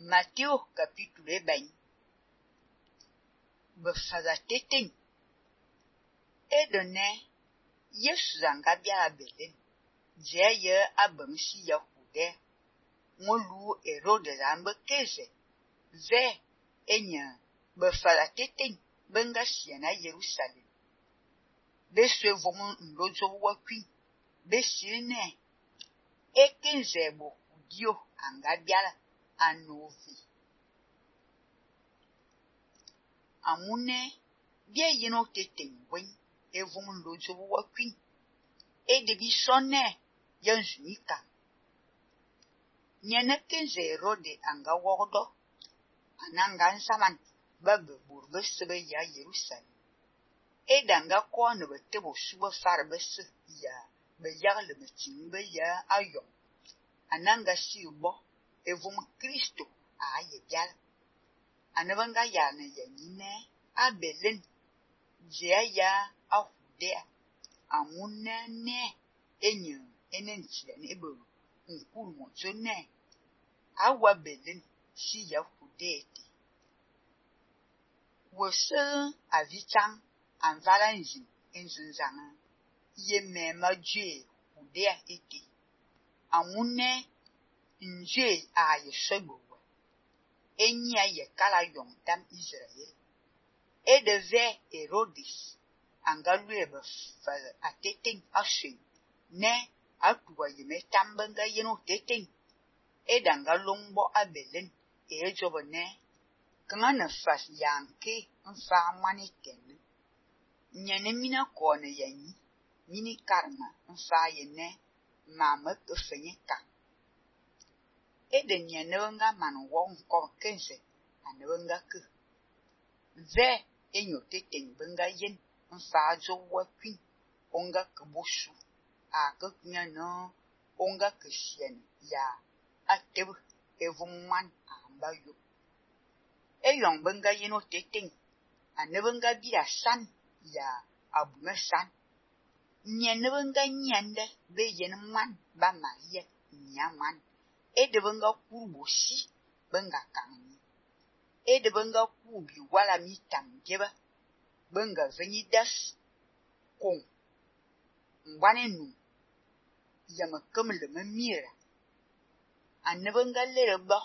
Matthieu capítulo 20. Befada teteng. Edone Yesu zanga biara Belém. Zeye abemsi ya kude. Ngolu Herode zambe keze. Ve enye befada teteng benga siena Jerusalem. Beswe vomu ndozo wakwi. Besine ekenze bo kudio anga biara anovi. Amune bie yeno teteng wen evomu ndozo wakwi. Edebi sonne yanzunika. Nyene kenze Herode anga wordo. Ananga nsaman babe burbe sebe ya Jerusalem. Edanga kwa ne betebo suba farbese ya beyagle metimbe ya ayon. Ananga sibo evum Kristo aye biala. Anabanga ya ne yanyine a Belém. Zea ya a Judea. Amune ne enye enenchile nebo nkuru mozo ne. Awa Belém si ya Judea te. Wose avichang anvala nzim enzunzanga. Ye mema jwe Judea ete. Amune nje a yesogbowe. Enyi a ye kala yongdam Israel. Edeve Herodes angalue befale ateteng ashen. Ne atuwa yeme tambenga yeno teteng. Edanga longbo a Belém ejobo ne. Kangana fas yanke mfa mani tenne. Nyene mina kone yanyi. Mini karma mfa yene. Mama kefenye ka. Eden yenenga man wong kom kenze. Anenga ke. Ve enyo teteng benga yen. Mfa zo wakwin. Onga kebosu. Ake nyano. Onga kesien ya. Atebu evumman ambayo. Eyong benga yeno teteng. Anebenga bia san ya abume san. Nyenebenga nyende be yenman ba Maria nyaman. Edebenga kurubosi benga kanyi. Edebenga kubi wala mitam jeba benga venidas kong. Mbane nu yama kemle memira. Anebenga lereba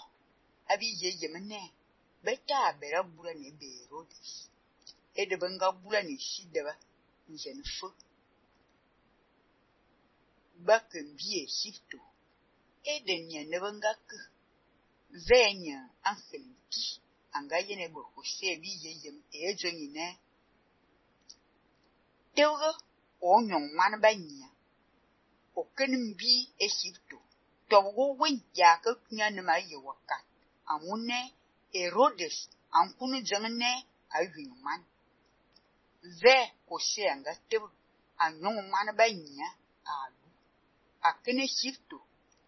abi yemene. Beta bera bula ne be Herodes. Edebenga bula ne sideba njenfo. Baken biye sifto. Edenye nebenga ke. Venye angelinki. Anga yene bo kose bi yem ejo nyine. Teuge onyon man banya. Okenim bi esifto. Togo wen ya ke kunyane ma ye wakat. Amune Herodes ankunu jengene ayuman. Ve kose anga teuge anyon man banya alu. Akene shifto.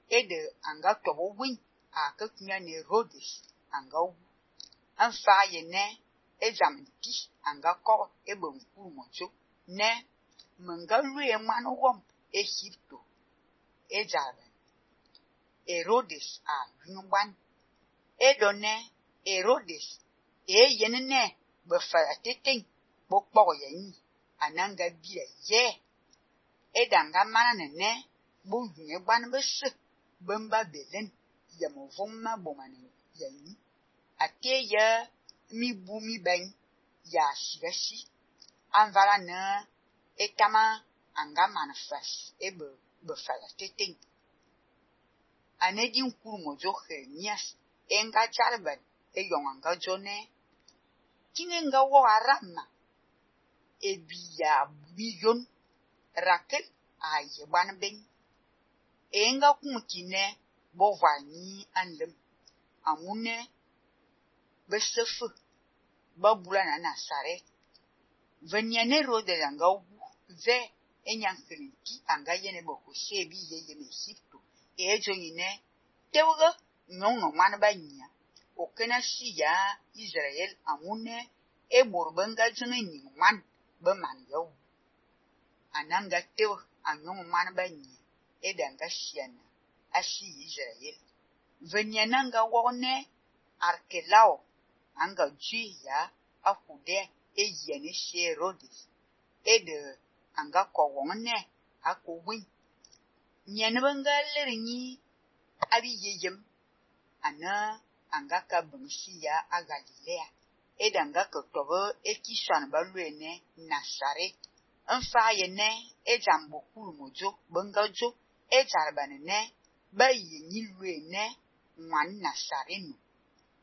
Ede anga tobo win. Akakunya ne Herodes anga wu. Anfa ye ne. Ezamti anga ko ebe mkuru mocho. Ne. Menga lue manu wom. E shifto. Ezabe. Herodes a yunban. Edo ne. Herodes. Yene ne. Befara teteng. Bokpoko yanyi. Ananga bia ye. Edanga mana ne. Bo yunye ban bese. Bemba Belém. Yamovoma bomane yanyi. Ate ya mi bu mi ben. Ya shirasi. Anvala ne. Etama anga manifest. Ebe befala teteng. Anedi nkuru mojo Jeremias. Enga jarban. Eyong anga jone. Kine nga wo arama. Ebi ya biyon. Rakel a yeban ben. Enga kumkine bovani anlem. Amune besefu babula na Nazaret. Venyane rode anga ubu. Ve enyankelinki anga yene boko shebi yeye mesifto. Ejo yine teuge nyongo man banya. Okena si ya Israel amune eborbenga jene nyingman beman yaw. Ananga teuge anyongo man banya. Edanga siana. Asi Israel. Venyananga wone Arkelao anga dwi ya akude yene she Herodes de anga kowone akowin nyene bangaler nyi abi yeyem ana anga ka bangsi ya a Galilea anga ka tobo ekishan balwene Nazaret Nfa yene jambo kulumojo bangajo jarbanene ba yenyi lwene mwan Nazareno